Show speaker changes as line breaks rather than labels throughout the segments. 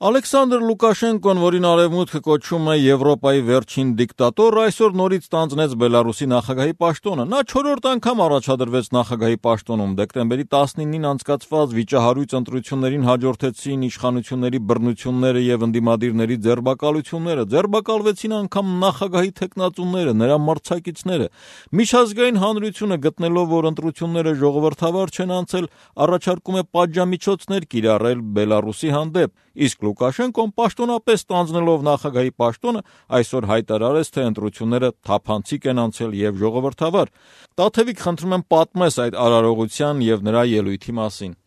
Ալեքսանդր Լուկաշենկոն, որին Արևմուտքը կոչում է Եվրոպայի վերջին դիկտատոր, այսօր նորից ստանձնեց Բելարուսի նախագահի պաշտոնը։ Նա 4-րդ անգամ առաջադրվեց նախագահի պաշտոնում։ Դեկտեմբերի 19-ին անցկացված վիճահարույց ընտրություններին հաջորդեցին իշխանությունների բռնությունները եւ ընդդիմադիրների ձերբակալությունները։ Ձերբակալվեցին անգամ նախագահի թեկնածուները, նրա մրցակիցները։ Միջազգային հանրությունը, գտնելով, որ ընտրությունները ժողովրդավար չեն անցել, առաջարկում է պատժամիջոցներ կիրառել Բելարուսի հանդեպ։ Իսկ Լուկաշենկոն պաշտոնապես ստանձնելով նախագահի պաշտոնը այսօր հայտարարեց, թե ընտրությունները թափանցիկ են անցել եւ ժողովրդավար։ Տաթևիկ, խնդրում եմ պատմես այդ արարողության եւ նրա ելույթի մասին։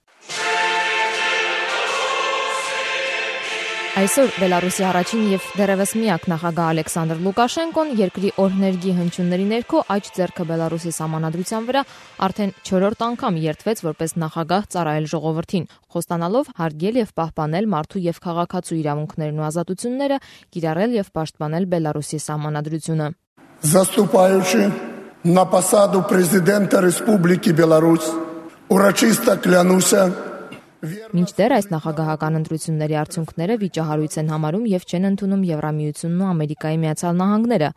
Այսօր Բելարուսի առաջին եւ դեռևս միակ նախագահ Ալեքսանդր Լուկաշենկոն երկրի օրհներգի հնչյունների ներքո աջ ձեռքը Բելարուսի սահմանադրության վրա արդեն 4-րդ անգամ երդվեց որպես նախագահ ծառայել ժողովրդին, խոստանալով հարգել եւ պահպանել մարդու եւ քաղաքացու իրավունքներն ու ազատությունները, կիրառել եւ պաշտպանել Բելարուսի սահմանադրությունը։
Заступаючи на посаду президента Республики Беларусь, урочисто клянуся.
Մինչդեռ այս նախագահական ընտրությունների արդյունքները վիճահարույց են համարում եւ չեն ընդունում Եվրամիությունն ու Ամերիկայի Միացյալ Նահանգները։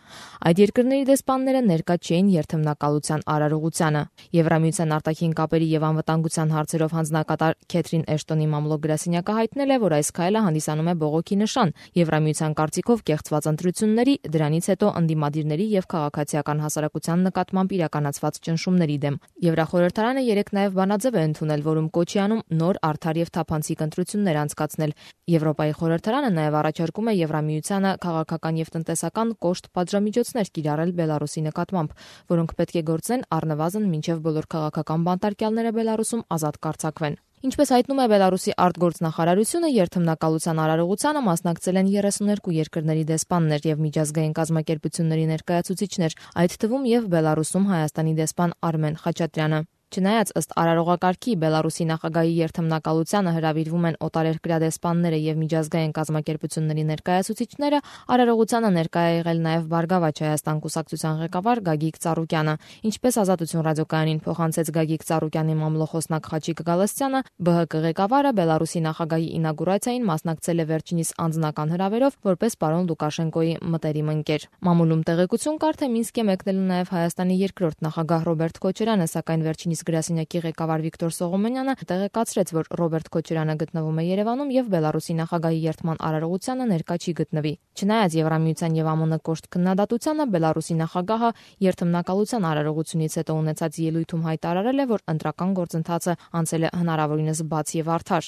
Այդ երկրների դեսպանները ներկա չէին երթմնակալության արարողությանը։ Եվրամիության արտաքին կապերի եւ անվտանգության հարցերով հանձնակատար Քեթրին Էշտոնի մամլոյ-գրասենյակը հայտնել է, որ այս քայլը հանդիսանում է բողոքի նշան Եվրամիության կարծիքով կեղծված ընտրությունների, դրանից հետո ընդդիմադիրների եւ քաղաքացիական հասարակության նկատմամբ իրականացված ճնշումների դեմ։ Եվրախորհրդարանը երեկ նաեւ բանաձև է ընդունել, որում կոչ է անում նոր արդար եւ թափանցիկ ընտրություններ անցկացնել։ Եվրոպայի խորհրդարանը նաեւ առաջարկում է Եվրամիությանը քաղաքական եւ տնտեսական կոշտ պատժամիջոցներ կիրառել Բելարուսի նկատմամբ, որոնք պետք է գործեն առնվազն մինչեւ բոլոր քաղաքական բանտարկյալները Բելարուսում ազատ կարձակվեն։ Ինչպես հայտնում է Բելարուսի արտգործնախարարությունը, երթմնակալության արարողությանը մասնակցել են 32 երկրների դեսպաններ եւ միջազգային կազմակերպությունների ներկայացուցիչներ, այդ թվում եւ Բելարուսում Հայաստանի դեսպան Արմեն Խաչատրյանը։ Չնայած ըստ արարողակարգի Բելարուսի նախագահի երթմնակալությանը հրավիրվում են օտարերկրյա դեսպանները եւ միջազգային կազմակերպությունների ներկայացուցիչները, արարողությանը ներկայ է եղել նաեւ Բարգավաճ Հայաստան կուսակցության ղեկավար Գագիկ Ծառուկյանը։ Ինչպես Ազատություն ռադիոկայանին փոխանցեց Գագիկ Ծառուկյանի մամլոխոսնակ Խաչիկ Գալստյանը, ԲՀԿ ղեկավարը Բելարուսի նախագահի ինագուրացիային մասնակցել է վերջինիս անձնական հրավերով որպես պարոն Լուկաշենկոյի մտերիմ ընկեր։ Մամուլում տեղեկություն կար, թե Մինսկ է մեկնել նաեւ Հայաստանի երկրորդ նախագահ Ռոբերտ Քոչարյանը, սակայն վերջինիս գրասենյակի ղեկավար Վիկտոր Սողոմոնյանը տեղեկացրեց, որ Ռոբերտ Քոչարյանը գտնվում է Երևանում եւ Բելարուսի նախագահի երթման արարողությանը ներկա չի գտնվի։ Չնայած Եվրամիության եւ ԱՄՆ կոշտ քննադատությանը, Բելարուսի նախագահը երթմնակալության արարողությունից հետո ունեցած ելույթում հայտարարել է, որ ընտրական գործընթացը անցել է հնարավորինս բաց եւ արդար։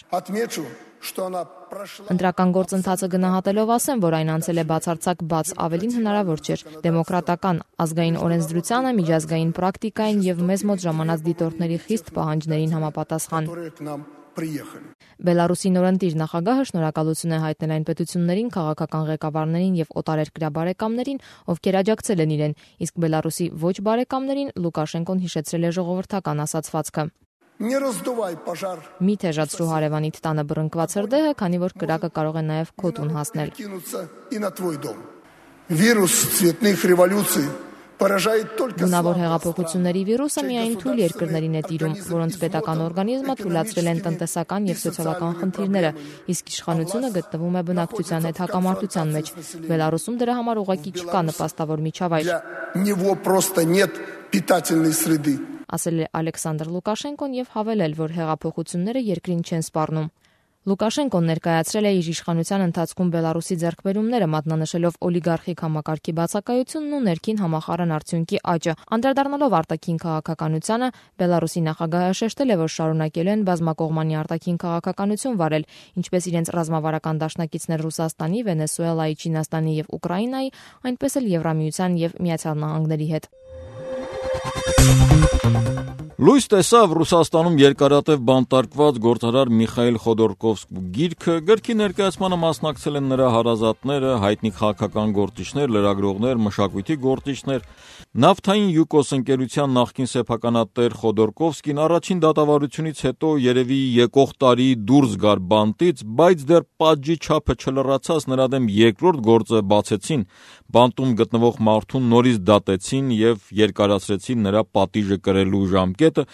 Ընտրական գործընթացը գնահատելով ասեմ, որ այն անցել է բացարձակ բաց, ավելին հնարավոր չէր։ Դեմոկրատական, ազգային օրենսդրությանը, միջազգային պրակտիկային եւ մեզ մոտ ժամանած դիտորդների խիստ պահանջներին համապատասխան։ Բելարուսի նորընտիր նախագահը շնորհակալություն է հայտնել այն պետություններին, քաղաքական ղեկավարներին եւ օտարերկրյա բարեկամներին, ովքեր աջակցել են իրեն, իսկ Բելարուսի ոչ բարեկամներին Լուկաշենկոն հիշեցրել է ժողովրդական ասացվածքը։ Մի թեժացրու հարևանիդ տանը բռնկված հրդեհը, քանի որ կրակը կարող է նաև քո տուն հասնել։ Գունավոր հեղափոխությունների վիրուսը միայն թույլ երկրներին է տիրում, որոնց պետական օրգանիզմը թույլատրել են տնտեսական եւ սոցիալական խնդիրները, իսկ իշխանությունը գտնվում է բնակչության հետ հակամարտության մեջ։ Բելարուսում դրա համար ուղղակի չկա նպաստավոր միջավայր, ասել է Ալեքսանդր Լուկաշենկոն եւ հավելել, որ հեղափոխությունները երկրին չեն սպառնում։ Լուկաշենկոն ներկայացրել է իր իշխանության ընթացքում Բելարուսի ձեռքբերումները, մատնանշելով օլիգարխիկ համակարգի բացակայությունն ու ներքին համախառն արդյունքի աճը։ Անդրադառնալով արտաքին քաղաքականությանը, Բելարուսի նախագահը շեշտել է, որ շարունակելու են բազմակողմանի արտաքին քաղաքականություն վարել, ինչպես իրենց ռազմավարական դաշնակիցներ Ռուսաստանի, Վենեսուելայի, Չինաստանի եւ Ուկրաինայի, այնպես էլ Եվրամիության եւ Միացյալ Նահանգների հետ։
Լույս տեսավ Ռուսաստանում երկարատև բանտարկված գործարար Միխայիլ Խոդորկովսկու գիրքը, գրքի ներկայացմանը մասնակցել են նրա հարազատները, հայտնի քաղաքական գործիչներ, լրագրողներ, մշակույթի գործիչներ։ Նավթային Յուկոս ընկերության նախկին սեփականատեր Խոդորկովսկին առաջին դատավարությունից հետո երևի եկող տարի դուրս գար բանտից, բայց դեռ պատժի չափը չլրացած նրա դեմ երկրորդ գործը բացեցին, բանտում գտնվող մարդուն նորից դատեցին եւ երկարացրեցին նրա պատիժը կրելու ժամկետը,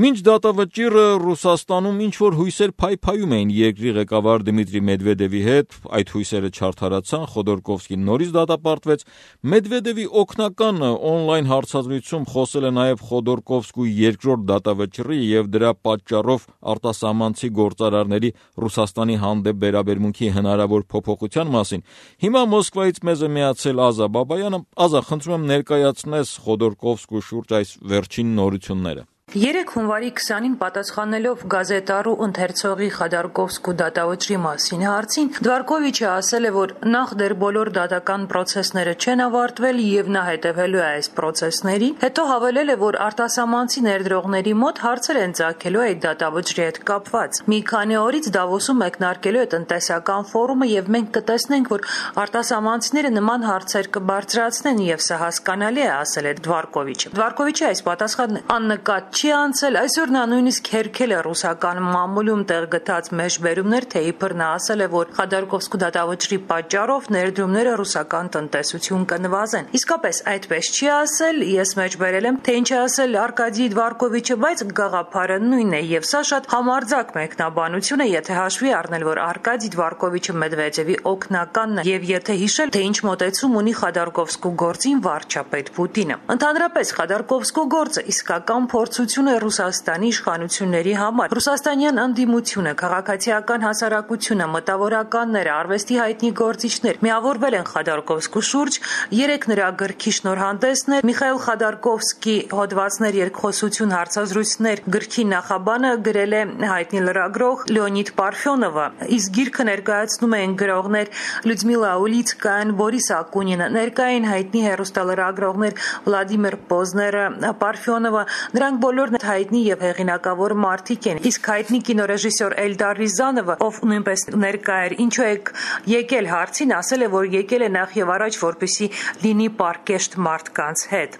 մինչ դատավճիռը Ռուսաստանում ինչ-որ հույսեր փայփայում էին երկրի ղեկավար Դմիտրի Մեդվեդևի հետ, այդ հույսերը չարդարացան, Խոդորկովսկին նորից դատապարտվեց, Մեդվեդևի օգնականը օնլայն հարցազրույցում խոսել է նաև Խոդորկովսկու երկրորդ դատավճռի եւ դրա պատճառով արտասահմանցի գործարարների Ռուսաստանի հանդեպ վերաբերմունքի հնարավոր փոփոխության մասին։ Հիմա Մոսկվայից մեզ է միացել Ազա Բաբայանը։ Ազա, խնդրում եմ ներկայացնես Խոդորկովսկու շուրջ այս վերջին նորությունները։
3 հունվարի 20-ին պատասխանելով գազետարու ընթերցողի Խոդորկովսկու դատավճռի մասին հարցին, Դվարկովիչը ասել է, որ նախ դեռ բոլոր դատական պրոցեսները չեն ավարտվել եւ նա հետևելու է այս պրոցեսների, հետո հավելել է, որ արտասահմանցի ներդրողների մոտ հարցեր են ծագելու այդ դատավճռի հետ կապված։ Մի քանի օրից Դավոսում մեկնարկելու է տնտեսական ֆորումը եւ մենք կտեսնենք, որ արտասահմանցիները նման հարցեր կբարձրացնեն եւ սա հասկանալի է, ասել է Դվարկովիչը։ Դվարկովիչի այս պատասխանն աննկատ չի անցել, այսօր նա նույնիսկ հերքել է ռուսական մամուլում տեղ գտած մեջբերումներ, թե իբր նա ասել է, որ Խոդորկովսկու դատավճռի պատճառով ներդրումները ռուսական տնտեսություն կնվազեն։ Իսկապես այդպես չի ասել, ես մեջբերել եմ, թե ինչ է ասել Արկադի Դվարկովիչը, բայց գաղափարը նույնն է եւ սա շատ համարձակ մեկնաբանություն է, եթե հաշվի առնել, որ Արկադի Դվարկովիչը Մեդվեդևի օգնականն է եւ եթե հիշել, թե ինչ մոտեցում ունի Խոդորկովսկու գործին վարչապետ Պուտինը։ Ընդհանրապես Խոդորկովսկու գործը իսկական փորձություն է Ռուսաստանի իշխանությունների համար։ Ռուսաստանյան ընդդիմությունը, քաղաքացիական հասարակությունը, մտավորականները, արվեստի հայտնի գործիչներ միավորվել են Խոդորկովսկու շուրջ, 3 նրա գրքի շնորհանդեսներ, Միխայիլ Խոդորկովսկի հոդվածներ, երկխոսություն, հարցազրույցներ գրքի նախաբանը գրել է հայտնի լրագրող Լեոնիդ Պարֆյոնովը, իսկ գիրքը ներկայացնում են գրողներ Լյուդմիլա Ուլիցկան, Բորիս Ակունինը, ներկային հայտնի հեռուստալրագրողներ Վլադիմիր Պոզները, Պարֆյոնովը, նրանք բոլորն հայտնի եւ հեղինակավոր մարդիկ են, իսկ հայտնի կինոռեժիսոր Էլդար Ռիզանովը, ով նույնպես ներկա էր, ինչու եք եկել հարցին, ասել է, որ եկել է նախ եւ առաջ, որպեսզի լինի պարկեշտ մարդկանց հետ։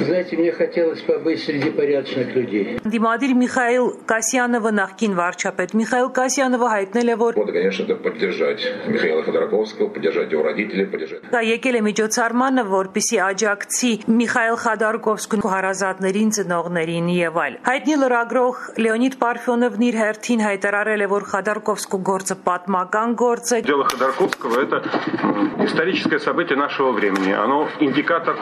Знаете, мне хотелось побыть среди порядочных людей.
Դիմադիր Միխայիլ Կասյանովը, նախկին վարչապետ Միխայիլ Կասյանովը հայտնել է, որ
конечно, это поддержать Михаила Ходорковского, поддержать его родителей, поддержать.
Եկել է միջոցառմանը, որպեսզի աջակցի Միխայիլ Խոդորկովսկու հարազատներին, ծնողներին եւ այլ։ Հայտնի լրագրող Լեոնիդ Պարֆյոնովն իր հերթին հայտարարել է, որ Խոդորկովսկու գործը պատմական գործ է։
Дело Ходорковского это историческое событие нашего времени. Оно индикатор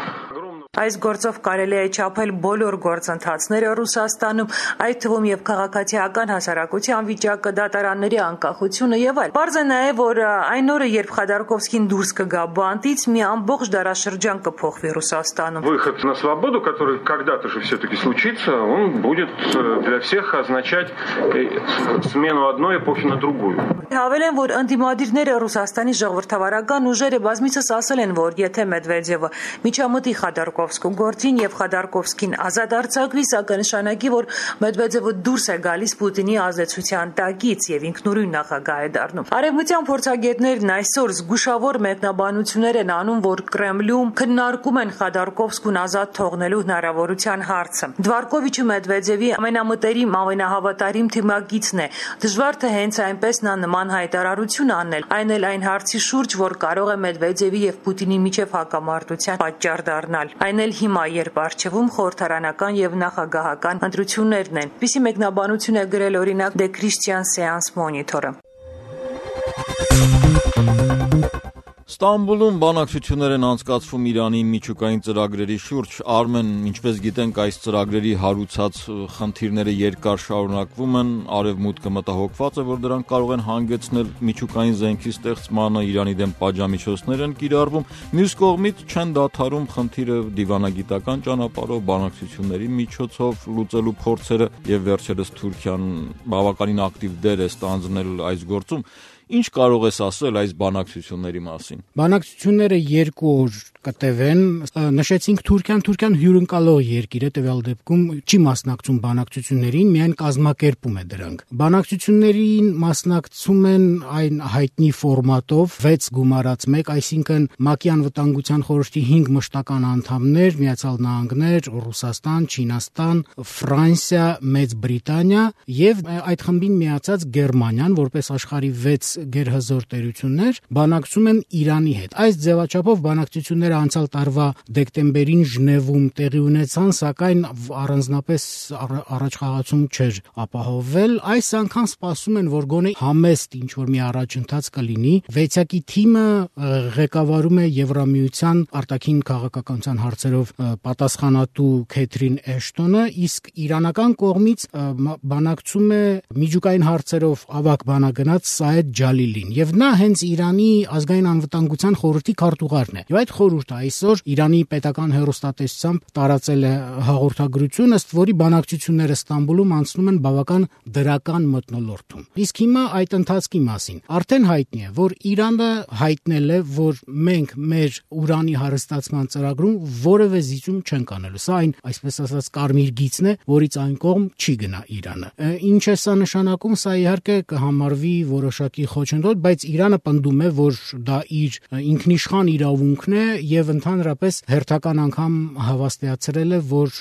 Այս գործով կարելի է չափել բոլոր գործընթացները Ռուսաստանում, այդ թվում եւ քաղաքացիական հասարակության վիճակը, դատարանների անկախությունը եւ այլ։ Պարզ է նաեւ, որ այն օրը, երբ Խոդորկովսկին դուրս կգա բանտից, մի ամբողջ դարաշրջան կփոխվի Ռուսաստանում։
Выход на свободу, который когда-то же все-таки случится, он будет для всех означать смену одной эпохи на другую.
Հավելեն, որ ընդդիմադիրները Ռուսաստանի ժողովրդավարական ուժերը բազմիցս ասել են, որ եթե Մեդվեդևը միջամտի Խոդորկովսկու գործին եւ Խոդորկովսկին ազատ արձակվի, սա կնշանակի, որ Մեդվեդևը դուրս է գալիս Պուտինի ազդեցության տակից եւ ինքնուրույն նախագահ է դառնում։ Արևմտյան փորձագետներն այսօր զգուշավոր մեկնաբանություններ են անում, որ Կրեմլում քննարկում են Խոդորկովսկուն ազատ թողնելու հնարավորության հարցը։ Դվարկովիչը Մեդվեդևի ամենամտերիմ, ամենահավատարիմ թիմակիցն է։ Դժվար թե հենց այնպես նա նման հայտարարություն անել, այն էլ այն հարցի շուրջ, որ կարող է Մեդվեդևի եւ Պուտինի միջև հակամարտության պատճառ դառնալ։ Այն էլ հիմա, երբ առջևում խորհրդարանական եւ նախագահական ընտրություններն են։ Պիսի մեկնաբանություն է գրել օրինակ The Christian Science Monitor-ը։
Ստամբուլում բանակցություններ են անցկացվում Իրանի միջուկային ծրագրերի շուրջ։ Արմեն, ինչպես գիտենք, այս ծրագրերի հարուցած խնդիրները երկար շարունակվում են, Արևմուտքը մտահոգված է, որ դրանք կարող են հանգեցնել միջուկային զենքի ստեղծմանը, Իրանի դեմ պատժամիջոցներ են կիրառվում, մյուս կողմից չեն դադարում խնդիրը դիվանագիտական ճանապարհով, բանակցությունների միջոցով լուծելու փորձերը եւ վերջերս Թուրքիան բավականին ակտիվ դեր է ստանձնել այս գործում։ Ինչ կարող ես ասել այս բանակցությունների մասին։
Բանակցությունները 2 օր կտևեն, նշեցինք Թուրքիան հյուրընկալող երկիր է, տվյալ դեպքում չի մասնակցում բանակցություններին, միայն կազմակերպում է դրանք։ Բանակցություններին մասնակցում են այն հայտնի ֆորմատով 6 գումարած 1, այսինքն ՄԱԿ-ի անվտանգության խորհրդի 5 մշտական անդամներ, Միացյալ Նահանգներ, Ռուսաստան, Չինաստան, Ֆրանսիա, Մեծ Բրիտանիա եւ այդ խմբին միացած Գերմանիան, որպես աշխարհի 6 գերհզոր տերություններ բանակցում են Իրանի հետ։ Այս ձևաչափով բանակցությունները անցյալ տարվա դեկտեմբերին Ժնևում տեղի ունեցան, սակայն առանձնապես առաջխաղացում չէր ապահովվել։ Այս անգամ սպասում են, որ գոնե համեստ ինչ-որ մի առաջընթաց կլինի։ Վեցյակի թիմը ղեկավարում է Եվրամիության արտաքին քաղաքականության հարցերով պատասխանատու Քեթրին Էշտոնը, իսկ իրանական կողմից բանակցում է միջուկային հարցերով ավագ բանագնաց Սաեդ Ջալիլին, եւ նա հենց Իրանի ազգային անվտանգության խորհրդի քարտուղարն է։ Եվ այդ խորհուրդը այսօր Իրանի պետական հեռուստատեսությամբ տարածել է հաղորդագրություն, ըստ որի բանակցությունները Ստամբուլում անցնում են բավական դրական մթնոլորտում։ Իսկ հիմա այդ ընթացքի մասին արդեն հայտնի է, որ Իրանը հայտնել է, որ մենք մեր ուրանի հարստացման ծրագրում որևէ զիջում չենք անելու։ Սա այն, այսպես ասած, կարմիր գիծն է, որից այն կողմ չի գնա Իրանը։ Ինչ է սա նշանակում, սա իհարկե կհամարվի որոշակի խոչընդոտ, բայց Իրանը պնդում է, որ դա իր ինքնիշխան իրավունքն է եւ ընդհանրապես հերթական անգամ հավաստիացրել է, որ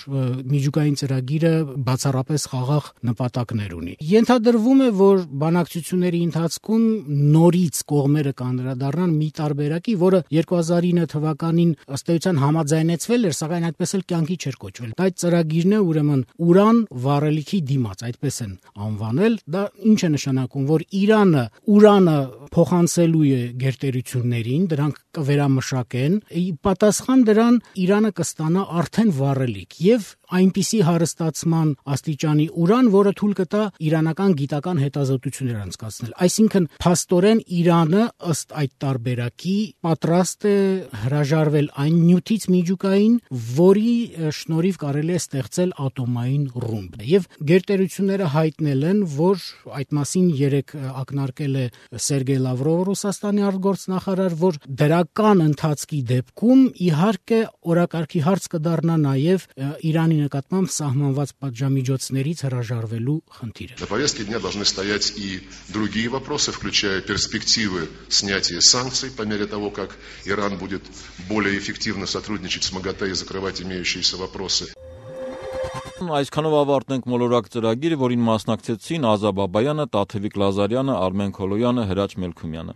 միջուկային ծրագիրը բացառապես խաղաղ նպատակներ ունի։ Ենթադրվում է, որ բանակցությունների ընթացքում նորից կողմերը կանդրադառնան մի տարբերակի, որը 2009 թվականին ըստ էության համաձայնեցվել էր, սակայն այդպես էլ կյանքի չէր կոչվել։ Այդ ծրագիրն է ուրեմն ուրան վառելիքի դիմաց, այդպես են անվանել։ Դա ինչ է նշանակում, որ Իրանը ուրանը փոխանցելու է գերտերություններին, դրանք կվերամշակեն, պատասխան դրան Իրանը կստանա արդեն վառելիք եւ այնպիսի հարստացման աստիճանի ուրան, որը թույլ կտա իրանական գիտական հետազոտություններ անցկացնել։ Այսինքն փաստորեն Իրանը ըստ այդ տարբերակի պատրաստ է հրաժարվել այն նյութից միջուկային, որի շնորհիվ կարելի է ստեղծել ատոմային ռումբ։ Եվ գերտերությունները հայտնել են, որ այդ մասին երեք ակնարկել է Սերգեյ Լավրովը, Ռուսաստանի արտգործնախարար, որ դրական ընթացքի դեպքում իհարկե օրակարգի հարց կդառնա նաև Իրանի նկատմամբ սահմանված պատժամիջոցներից հրաժարվելու խնդիրը։
На повестке дня должны стоять и другие вопросы, включая перспективы снятия санкций по мере того, как Иран будет более эффективно сотрудничать с МАГАТЭ и закрывать имеющиеся вопросы.
Այսքանով ավարտենք մոլորակ ծրագիրը, որին մասնակցեցին Ազա Բաբայանը, Տաթևիկ Լազարյանը, Արմեն Քոլոյանը, Հրաչ Մելքումյանը։